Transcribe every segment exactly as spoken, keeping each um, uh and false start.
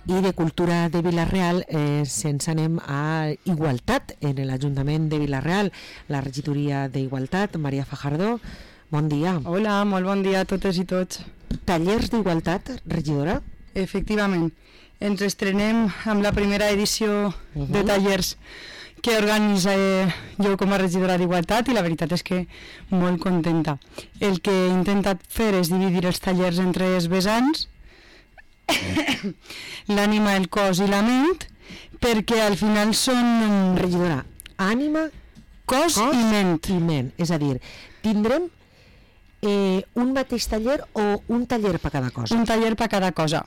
I de Cultura de Vila-real eh, se'ns anem a Igualtat, en l'Ajuntament de Vila-real, la regidoria d'Igualtat. Maria Fajardo, bon dia. Hola, molt bon dia a totes i tots. Tallers d'Igualtat, regidora? Efectivament, ens estrenem amb la primera edició uh-huh. de tallers que organitza eh, jo com a regidora d'Igualtat, i la veritat és que molt contenta. El que he intentat fer és dividir els tallers entre els vessants, l'ànima, el cos i la ment, perquè al final són... Regidora, ànima, cos, cos i ment. I ment. És a dir, tindrem eh, un mateix taller o un taller per cada cosa? Un taller per cada cosa.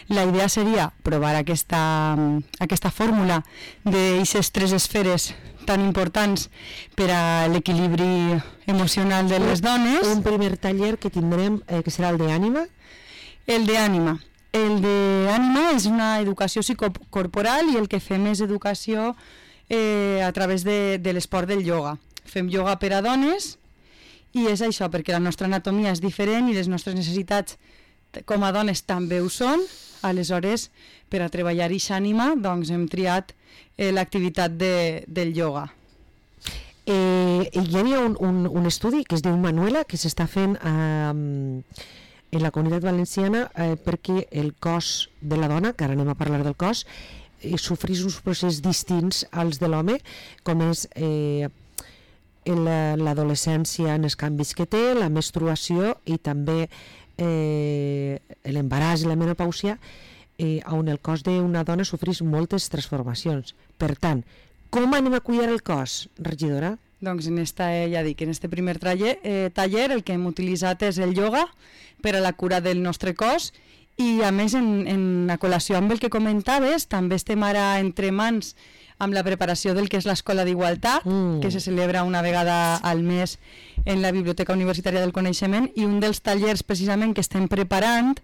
La idea seria provar aquesta, aquesta fórmula d'aquestes tres esferes tan importants per a l'equilibri emocional de les dones. Un primer taller que tindrem, eh, que serà el d'ànima? El d'ànima. El d'ànima és una educació psicocorporal i el que fem és educació eh, a través de, de l'esport del ioga. Fem ioga per a dones i és això, perquè la nostra anatomia és diferent i les nostres necessitats com a dones també ho són. Aleshores, per a treballar aquesta ànima, doncs hem triat eh, l'activitat de, del ioga. Eh, hi havia un, un, un estudi que es diu Manuela, que s'està fent eh, en la Comunitat Valenciana eh, perquè el cos de la dona, que ara anem a parlar del cos, eh, sofrís uns processos distints als de l'home, com és eh, l'adolescència en els canvis que té, la menstruació i també eh, l'embaràs i la menopàusia, eh, on el cos d'una dona sofrís moltes transformacions. Per tant, com anem a cuidar el cos, regidora? Doncs en esta, eh, ja dic, en este primer taller, eh, taller el que hem utilitzat és el ioga per a la cura del nostre cos i a més en, en la col·lació amb el que comentaves també estem ara entre mans amb la preparació del que és l'Escola d'Igualtat, mm. que se celebra una vegada al mes en la Biblioteca Universitària del Coneixement, i un dels tallers precisament que estem preparant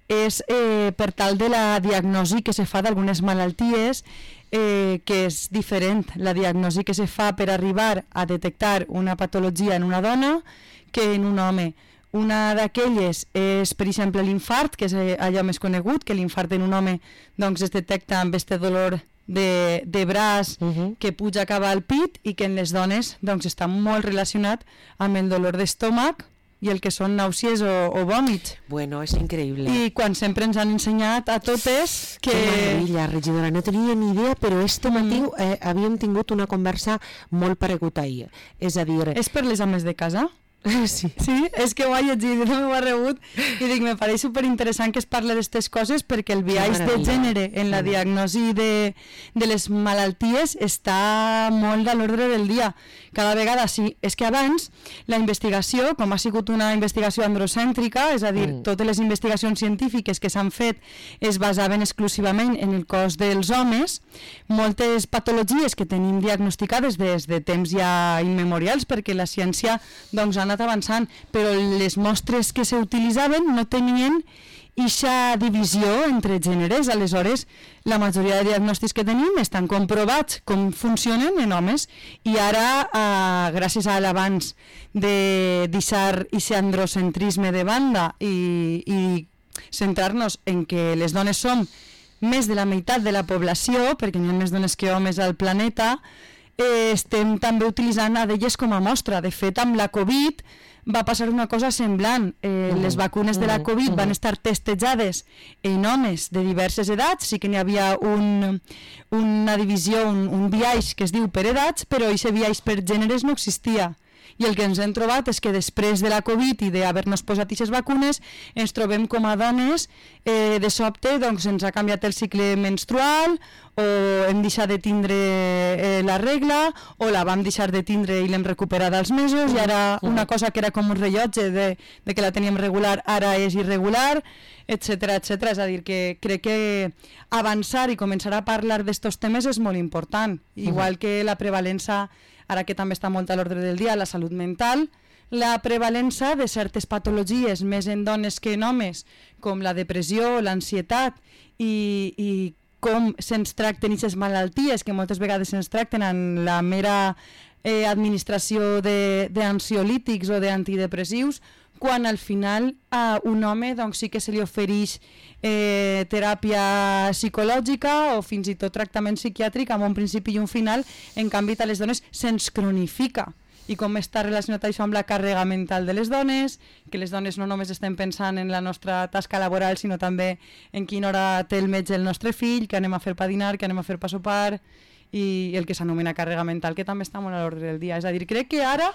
és eh, per tal de la diagnosi que se fa d'algunes malalties, eh, que és diferent la diagnosi que se fa per arribar a detectar una patologia en una dona que en un home. Una d'aquelles és, per exemple, l'infart, que és allò més conegut, que l'infart en un home doncs, es detecta amb este dolor de, de braç uh-huh. que puja cap al pit, i que en les dones doncs, està molt relacionat amb el dolor d'estómac i el que són nàusees o, o vòmits. Bueno, és increïble. I quan sempre ens han ensenyat a totes que... Que meravella, regidora, no tenia ni idea, però este matí mm. eh, havíem tingut una conversa molt paregut ahir. És a dir... És per les ames de casa? Sí. Sí, és que ho he llegit, no m'ho ha rebut i dic, me pareix superinteressant que es parli d'aquestes coses perquè el biaix de gènere en la diagnosi de, de les malalties està molt a l'ordre del dia. Cada vegada sí. És que abans la investigació, com ha sigut una investigació androcèntrica, és a dir, mm. totes les investigacions científiques que s'han fet es basaven exclusivament en el cos dels homes, moltes patologies que tenim diagnosticades des de temps ja immemorials, perquè la ciència doncs, ha anat avançant, però les mostres que s'utilitzaven no tenien eixa divisió entre gèneres. Aleshores, la majoria de diagnòstics que tenim estan comprovats com funcionen en homes, i ara, eh, gràcies a l'avanç de deixar aquest androcentrisme de banda i, i centrar-nos en que les dones som més de la meitat de la població, perquè hi ha més dones que homes al planeta, Eh, estem també utilitzant a d'elles com a mostra. De fet, amb la Covid va passar una cosa semblant. Eh, mm. Les vacunes de la Covid mm. van estar testejades en homes de diverses edats, sí que n'hi havia un, una divisió, un, un biaix que es diu per edats, però aquest biaix per gèneres no existia. I el que ens hem trobat és que després de la Covid i d'haver-nos posat aquestes vacunes ens trobem com a dones, eh, de sobte doncs, ens ha canviat el cicle menstrual, o hem deixat de tindre eh, la regla, o la vam deixar de tindre i l'hem recuperat als mesos, i ara una cosa que era com un rellotge de, de que la teníem regular ara és irregular, etcètera, etcètera. És a dir, que crec que avançar i començar a parlar d'estos temes és molt important, igual que la prevalença, ara que també està molt a l'ordre del dia, la salut mental, la prevalença de certes patologies més en dones que en homes, com la depressió, l'ansietat, i, i com se'ns tracten aquestes malalties, que moltes vegades se'ns tracten en la mera eh, administració d'ansiolítics o d'antidepressius, quan al final a un home doncs, sí que se li ofereix eh, teràpia psicològica o fins i tot tractament psiquiàtric amb un principi i un final, en canvi a les dones se'ns cronifica. I com està relacionat això amb la càrrega mental de les dones, que les dones no només estem pensant en la nostra tasca laboral, sinó també en quina hora té el metge el nostre fill, què anem a fer per dinar, què anem a fer per sopar, i el que s'anomena càrrega mental, que també està molt a l'ordre del dia. És a dir, crec que ara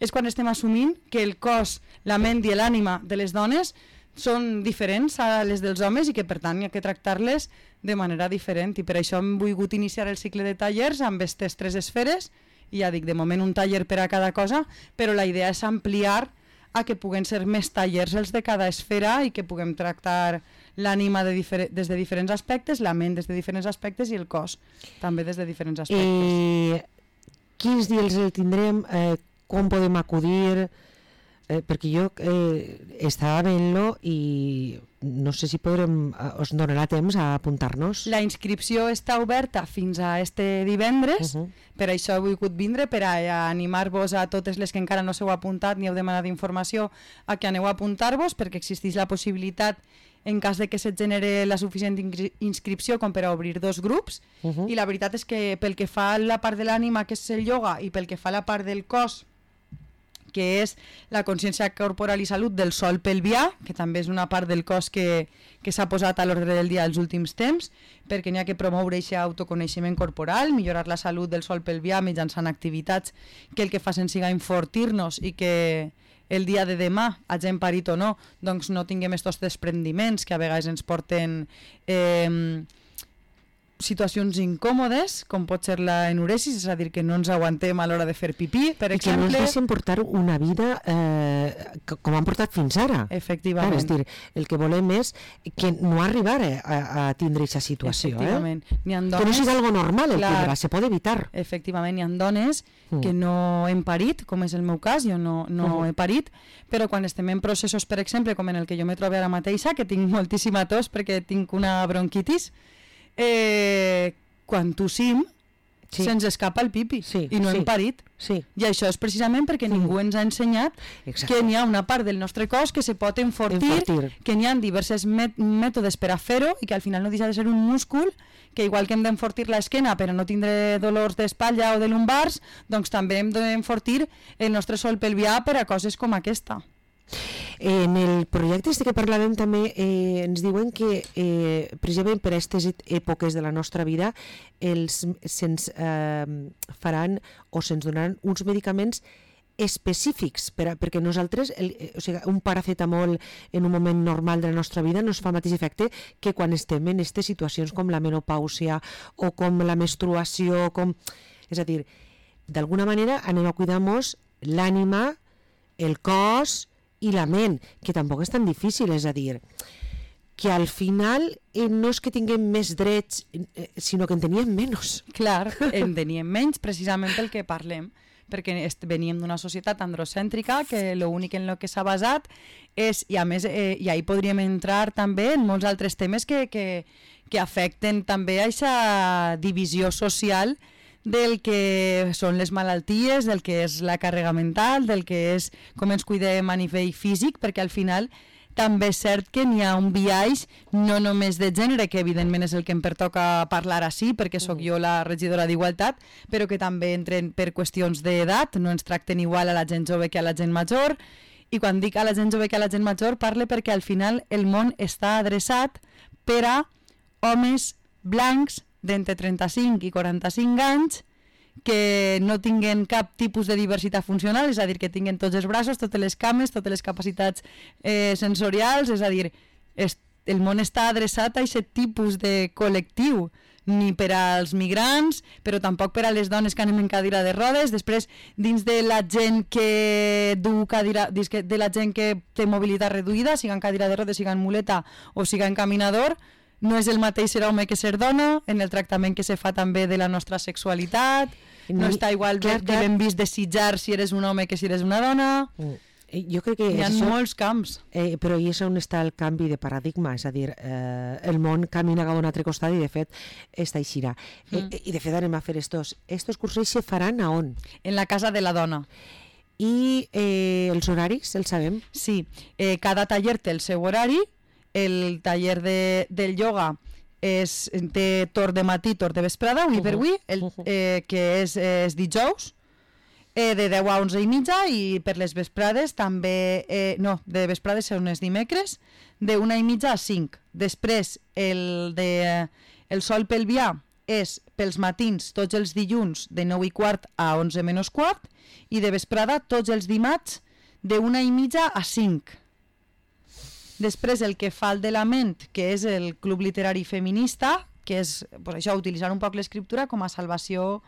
és quan estem assumint que el cos, la ment i l'ànima de les dones són diferents a les dels homes i que per tant hi ha que tractar-les de manera diferent, i per això hem volgut iniciar el cicle de tallers amb aquestes tres esferes. I ja dic, de moment un taller per a cada cosa, però la idea és ampliar a que puguen ser més tallers els de cada esfera i que puguem tractar l'ànima de des de diferents aspectes, la ment des de diferents aspectes i el cos també des de diferents aspectes. Eh, quins dies el tindrem? Eh, com podem acudir? Eh, perquè jo eh, estava veient-lo i no sé si podrem, us donarà temps a apuntar-nos. La inscripció està oberta fins a este divendres, uh -huh. per això he volgut vindre, per a animar-vos a totes les que encara no s'heu apuntat ni heu demanat informació a que aneu a apuntar-vos, perquè existeix la possibilitat, en cas de que se't genere la suficient inscripció com per a obrir dos grups, uh -huh. i la veritat és que pel que fa a la part de l'ànima, que és el ioga, i pel que fa a la part del cos, que és la consciència corporal i salut del sòl pelvià, que també és una part del cos que, que s'ha posat a l'ordre del dia els últims temps, perquè n'hi ha que promoure aquest autoconeixement corporal, millorar la salut del sòl pelvià mitjançant activitats que el que facin siga enfortir-nos i que el dia de demà, hagin parit o no, doncs no tinguem estos desprendiments que a vegades ens porten eh, situacions incòmodes, com pot ser la enuresis, és a dir, que no ens aguantem a l'hora de fer pipí, per I exemple. I que no ens deixen portar una vida eh, com han portat fins ara. Efectivament. Clar, és dir, el que volem és que no arribar a, a tindre aquesta situació. Efectivament. Eh? Dones, que no sigui algo normal el clar, tindrà, se pot evitar. Efectivament, hi ha dones mm. que no hem parit, com és el meu cas, jo no, no uh-huh. he parit, però quan estem en processos, per exemple, com en el que jo me trobo ara mateixa, que tinc moltíssima tos perquè tinc una bronquitis, Eh, quan tossim sí. se'ns escapa el pipi sí, i no sí, hem parit sí. i això és precisament perquè mm. ningú ens ha ensenyat Exacte. que n'hi ha una part del nostre cos que se pot enfortir, enfortir. que n'hi ha diversos met mètodes per a fer-ho i que al final no deixa de ser un múscul que igual que hem d'enfortir l'esquena per a no tindre dolors d'espatlla o de lumbars, doncs també hem d'enfortir el nostre sòl pelvià per a coses com aquesta. En el projecte este que parlàvem també eh, ens diuen que eh, precisament per a aquestes èpoques de la nostra vida els, se'ns eh, faran o se'ns donaran uns medicaments específics per a, perquè nosaltres el, o sigui, un paracetamol en un moment normal de la nostra vida no es fa el mateix efecte que quan estem en aquestes situacions com la menopàusia o com la menstruació, com... és a dir, d'alguna manera anem a cuidar-nos l'ànima, el cos i la ment, que tampoc és tan difícil, és a dir, que al final eh, no és que tinguem més drets, eh, sinó que en teníem menys. Clar, en teníem menys precisament pel que parlem, perquè veníem d'una societat androcèntrica que l'únic en el que s'ha basat és, i a més, eh, i ahí podríem entrar també en molts altres temes que, que, que afecten també a aquesta divisió social del que són les malalties, del que és la càrrega mental, del que és com ens cuidem a nivell físic, perquè al final també és cert que n'hi ha un biaix no només de gènere, que evidentment és el que em pertoca parlar així, perquè sóc jo la regidora d'Igualtat, però que també entren per qüestions d'edat, no ens tracten igual a la gent jove que a la gent major, i quan dic a la gent jove que a la gent major parle perquè al final el món està adreçat per a homes blancs d'entre trenta-cinc i quaranta-cinc anys que no tinguen cap tipus de diversitat funcional, és a dir, que tinguen tots els braços, totes les cames, totes les capacitats eh, sensorials, és a dir, es, el món està adreçat a aquest tipus de col·lectiu, ni per als migrants, però tampoc per a les dones que anem en cadira de rodes. Després, dins de la gent que du cadira, de la gent que té mobilitat reduïda, siga en cadira de rodes, siga en muleta o siga en caminador, no és el mateix ser home que ser dona, en el tractament que se fa també de la nostra sexualitat, no, no està igual clar, de, de ben vist desitjar si eres un home que si eres una dona. Mm. Jo crec que hi ha això, molts camps. Eh, però i és on està el canvi de paradigma, és a dir, eh, el món camina cap a un altre costat i de fet està així. Mm. Eh, I de fet anem a fer estos, estos cursos se faran a on? En la casa de la dona. I eh, els horaris, els sabem? Sí, eh, cada taller té el seu horari. El taller de, del ioga és, té torn de matí, torn de vesprada, avui per avui, el, eh, que és, és dijous, eh, de deu a onze i mitja, i per les vesprades també, eh, no, de vesprades són els dimecres, de una i mitja a cinc. Després, el, de, el sol pelvià és pels matins tots els dilluns de nou i quart a onze menys quart, i de vesprada tots els dimarts de una i mitja a cinc. Després el que fa el de la ment, que és el Club Literari Feminista, que és pues això, utilitzar un poc l'escriptura com a salvació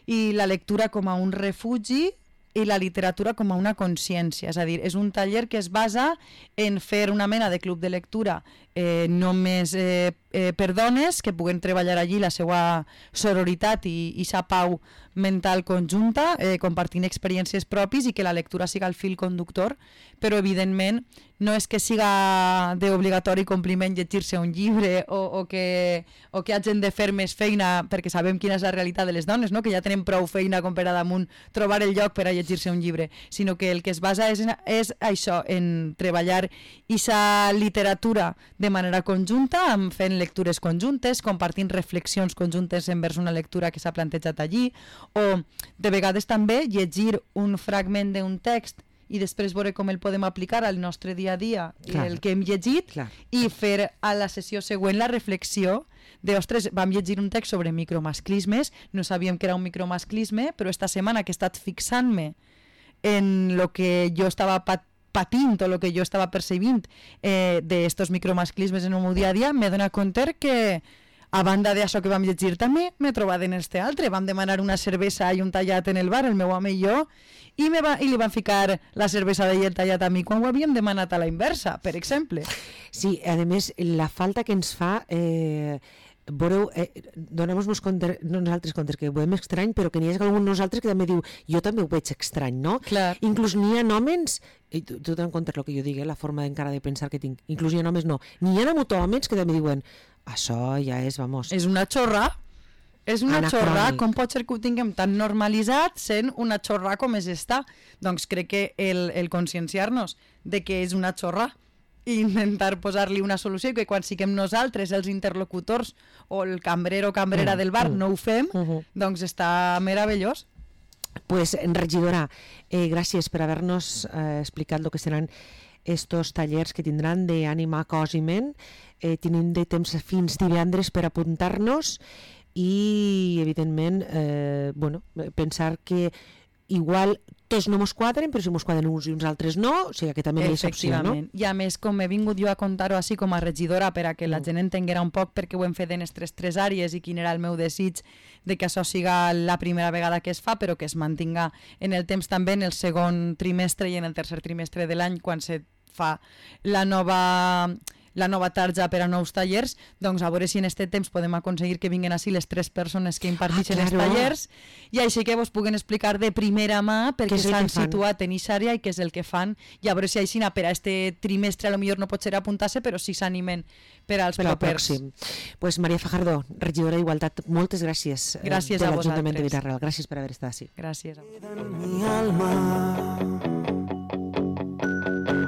i la lectura com a un refugi i la literatura com a una consciència. És a dir, és un taller que es basa en fer una mena de club de lectura eh, només eh, eh, per dones que puguen treballar allí la seva sororitat i, i sa pau mental conjunta, eh, compartint experiències propis, i que la lectura siga el fil conductor, però evidentment no és que siga d'obligatori compliment llegir-se un llibre o, o, que, o que hagin de fer més feina, perquè sabem quina és la realitat de les dones, no? Que ja tenen prou feina com per a damunt trobar el lloc per a llegir-se un llibre, sinó que el que es basa és, és això, en treballar aquesta literatura de manera conjunta, fent lectures conjuntes, compartint reflexions conjuntes envers una lectura que s'ha plantejat allí, o de vegades també llegir un fragment d'un text i després veure com el podem aplicar al nostre dia a dia, clar, el que hem llegit, clar, i fer a la sessió següent la reflexió de, ostres, vam llegir un text sobre micromasclismes, no sabíem que era un micromasclisme, però esta setmana que he estat fixant-me en el que jo estava pat patint o el que jo estava percebint eh, d'estos micromasclismes en el meu dia a dia, m'he donat compte que a banda d'això que vam llegir també m'he trobat en este altre. Vam demanar una cervesa i un tallat en el bar, el meu home i jo, i, me va, i li van ficar la cervesa i el tallat a mi quan ho havíem demanat a la inversa, per exemple. Sí, a més, la falta que ens fa... Eh... Veureu, eh, donem-nos compte, nosaltres compte que ho veiem estrany, però que n'hi ha algun nosaltres que també diu jo també ho veig estrany, no? Clar. Inclús n'hi ha homes, i tu, tu te'n comptes el que jo dic, eh, la forma encara de pensar que tinc, inclús n'hi ha homes no, n'hi ha hagut homes que també diuen això ja és, vamos... És una xorra, és una anacrònic. Xorra, com pot ser que ho tinguem tan normalitzat sent una xorra com és esta? Doncs crec que el, el conscienciar-nos de que és una xorra i intentar posar-li una solució, i que quan siguem nosaltres els interlocutors o el cambrer o cambrera mm, del bar mm, no ho fem, uh -huh. doncs està meravellós. Pues, regidora, eh, gràcies per haver-nos eh, explicat el que seran estos tallers que tindran d'ànima, cos i ment. Eh, tenim de temps fins divendres per apuntar-nos i, evidentment, eh, bueno, pensar que igual tots no mos quadren, però si mos quadren uns i uns altres no, o sigui que també hi ha opció, no? I a més, com he vingut jo a contar-ho així com a regidora per a que la gent entenguera un poc perquè ho hem fet en aquestes tres àrees i quin era el meu desig de que això siga la primera vegada que es fa, però que es mantinga en el temps també en el segon trimestre i en el tercer trimestre de l'any quan se fa la nova... la nova tarja per a nous tallers, doncs a veure si en aquest temps podem aconseguir que vinguin així les tres persones que imparteixen ah, els tallers i així que vos puguen explicar de primera mà perquè s'han situat en aquesta àrea i què és el que fan, i a veure si així per a este trimestre a lo millor no pot ser apuntar-se, però sí s'animen per als per propers. Pues Maria Fajardo, regidora d'Igualtat, moltes gràcies, gràcies eh, de a l'Ajuntament vosaltres. de Vilareal. Gràcies per haver estat així. Gràcies a vosaltres.